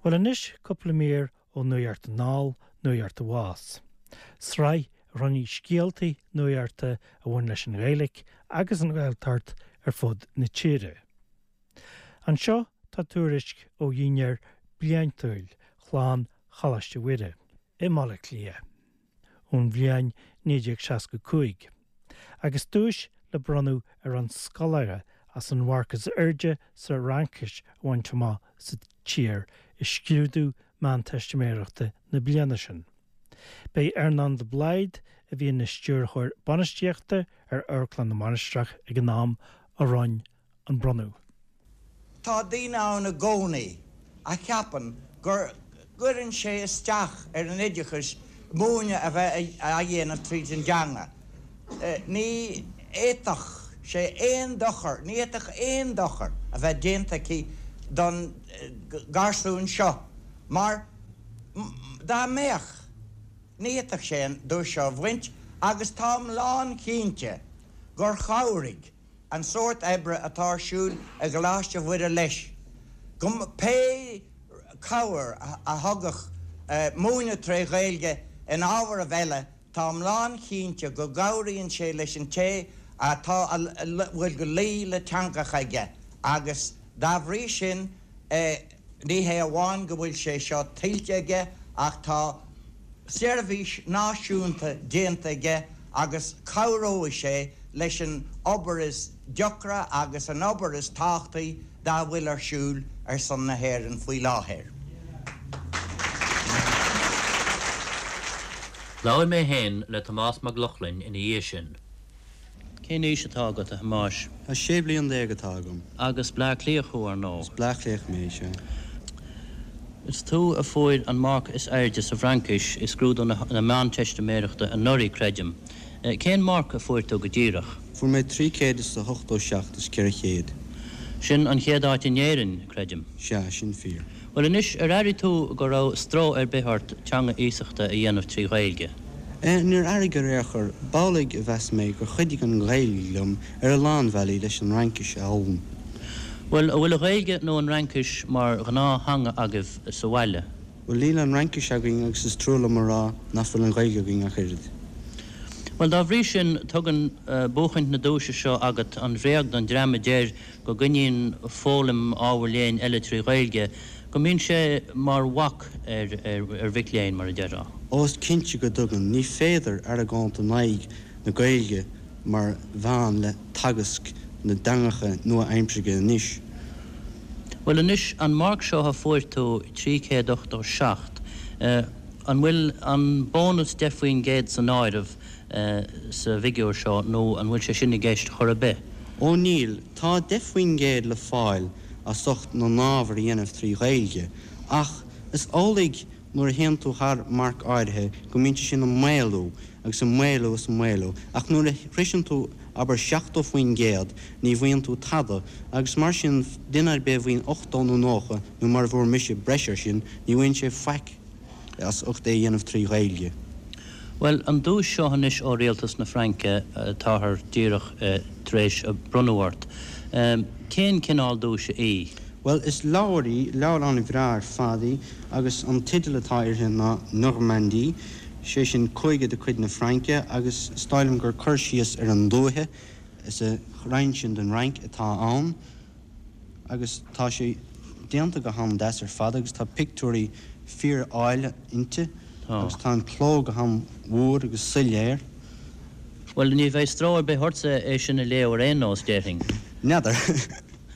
Bhuel anois cúpla mír ó Nuacht Anall, Nuacht Abhus. Sraith a roinnfidh scéaltaí nuachta a bhain leis an Ghaeilge agus an Ghaeltacht ar fud na tíre. Anseo tá tuairisc ó dhinnéar bliantúil chlann Choláiste Mhuire i mBaile Átha Cliath ón bhliain 1965 agus duais le bronnadh ar an scoláire as an mharc is airde sa Fhraincis a bhaint amach sa tír i scrúdú Meánteistiméireachta na bliana sin. B'é Earnán de Blaghd, a bhí ina Stiúrthóir Bainistíochta ar Amharclann na Mainistreach ag an am, a roinn an bronnadh. Tá daoine ann i gcónaí a cheapann go gcuireann sé isteach ar an oideachas múineadh a bheith á dhéanamh tríd an dteanga. Ní fhéadfadh sé aon dochar, ní fhéadfadh aon dochar a bheith déanta aici don garsún seo mar dá mbeadh, ní fhéadfadh sé an duais seo a bhaint agus táim lánchinnte gur chabhraigh an sórt oibre atá ar siúl i gColáiste Mhuire leis, go pé cabhair a thugadh múineadh tré Ghaeilge in ábharaibh eile, táim lánchinnte go gcabhraíonn sé leis an té atá a bhfuil luí le teangacha aige agus dá bhrí sin ní hé amháin go bhfuil sé seo tuillte aige ach tá seirbhís náisiúnta déanta aige agus cabhróidh sé leis an obair is deacra agus an obair is tábhachtaí dá bhfuil ar siúl ar son na hÉireann faoi láthair. Labhair mé féin le Tomás Mac Lochlainn ina dhiaidh sin. Cén aois atá agat, a Thomáis? Tá 16 bliain atá agam. Agus Bleá Cliathach thú, ar ndóigh. Is Bleá Cliathach mé, sea. Is tú a fuair an marc is airde sa bhFraincis i scrúdú na Meánteistiméireachta anuraidh, creidim. Cén marc a fuair tú go díreach? Fuair mé 387 is 400. Sin an chéad áit in Éirinn, creidim. Sea, sin fíor. Bhuel anois, ar airigh tú go raibh stró ar bith ort teanga iasachta a dhéanamh trí Ghaeilge? Níor airigh ar aon chor. B'amhlaidh a mheas mé gur chuidigh an Ghaeilge liom ar a lán bhealaí leis an Fhraincis a fhoghlaim. Bhuel, an bhfuil an Ghaeilge nó an Fhraincis mar ghnáth-theanga agaibh sa bhaile? Bhuel, níl an Fhraincis againn agus is trua liom a rá nach bhfuil an Ghaeilge againn ach oiread. Bhuel, dá bhrí sin, tugann buachaint na duaise seo agat an bhréag don dream a deir go gcoinníonn foghlaim ábhair léinn eile trí Ghaeilge, go mbíonn sé mar bhac ar mhic léinn, mar a déarfá. Ó, is cinnte go dtugann. Ní féidir argóint in aghaidh na Gaeilge mar mheán le teagasc na dteangacha nua-aimseartha anois. Bhuel anois, an marc seo a fuair tú, 387, an bhfuil an bónas 10% san áireamh sa bhfigiúr seo nó an bhfuil sé sin i gceist chor ar bith? Ó níl, tá 10% le fáil as ucht na n-ábhar a dhéanamh trí Ghaeilge, ach is amhlaidh nuair a théann tú thar marc áirithe go mbíonn sé sin ag maolú agus ag maolú is ag maolú, ach nuair a shroiseann tú abair 70% ní bhfaigheann tú tada agus mar sin duine ar bith a bhfaigheann 80 nó 90 nó mar a bhfuair mise breis ar sin ní bhfaigheann sé faic. as ucht é a dhéanamh trí Ghaeilge. Bhuel, an duais seo anois ó Rialtas na Fraince atáthar díreach tar éis a bronnadh ort, cén cineál duaise í? Bhuel, is leabhar í, leabhar an-bhreá ar fad í, agus an teideal atá uirthi ná Normandie, sé sin cúige de chuid na Fraince, agus is dóigh liom gur cur síos ar an dúiche sa roinn sin den Fhrainc atá ann. agus tá sé déanta go han-deas ar fad agus tá pictiúirí fíor-áille inti agus tá an cló go han-mhór agus soiléir. Bhuel, ní bheidh stró ar bith ortsa é sin a léamh ar aon nós, déarfainn. N'fheadar.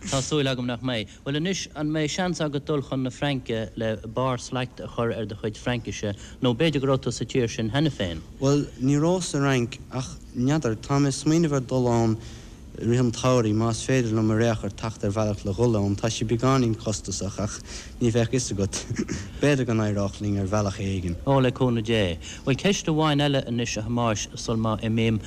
Tá súil agam nach mbeidh. Bhuel anois, an mbeidh seans agat dul chun na Fraince le barr slacht a chur ar do chuid Fraincise, nó b'fhéidir go raibh tú sa tír sin cheana féin? Bhuel, ní raibh sa Fhrainc, ach n'fheadar, tá mé ag smaoineamh ar dul ann I rith an tsamhraidh, más féidir liom ar aon chor teacht ar bhealach le dhul ann, tá sé beagáinín costasach ach ní bheadh fhios agat, b'fhéidir go n-éireodh linn ar bhealach éigin. Ó, le cúnamh Dé. Bhuel, ceist amháin eile anois, a Thomáis, sul má imím.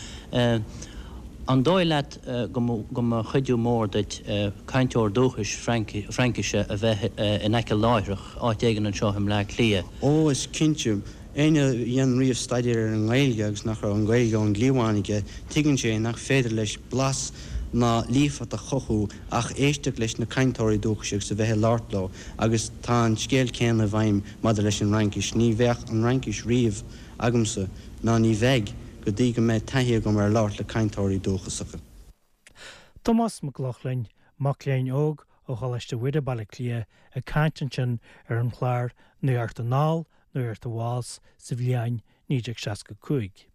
An dóigh leat go mba chuidiú mór duit cainteoir dúchais Fraincise a bheith in aice láithreach, áit éigin anseo i mBleá Cliath? Ó, is cinnte. Éinne a dhein riamh staidéar ar an nGaeilge agus nach raibh an Ghaeilge ón gcliabhán aige, tuigeann sé nach féidir leis blas ná líofacht a chothú ach éisteacht leis na cainteoirí dúchais agus a bheith ag labhairt leo agus tá an scéal céanna i bhfeidhm maidir leis an Fhraincis. Ní bheadh an Fhraincis riamh agamsa ná ní bheidh go dtí go mbeidh taithí agam ar labhairt le cainteoirí dúchasacha. Tomás Mac Lochlainn, mac léinn óg ó Choláiste Mhuire, Baile Átha Cliath, ag caint ansin ar an chlár Nuacht Anall, Nuacht Abhus sa bhliain 1965.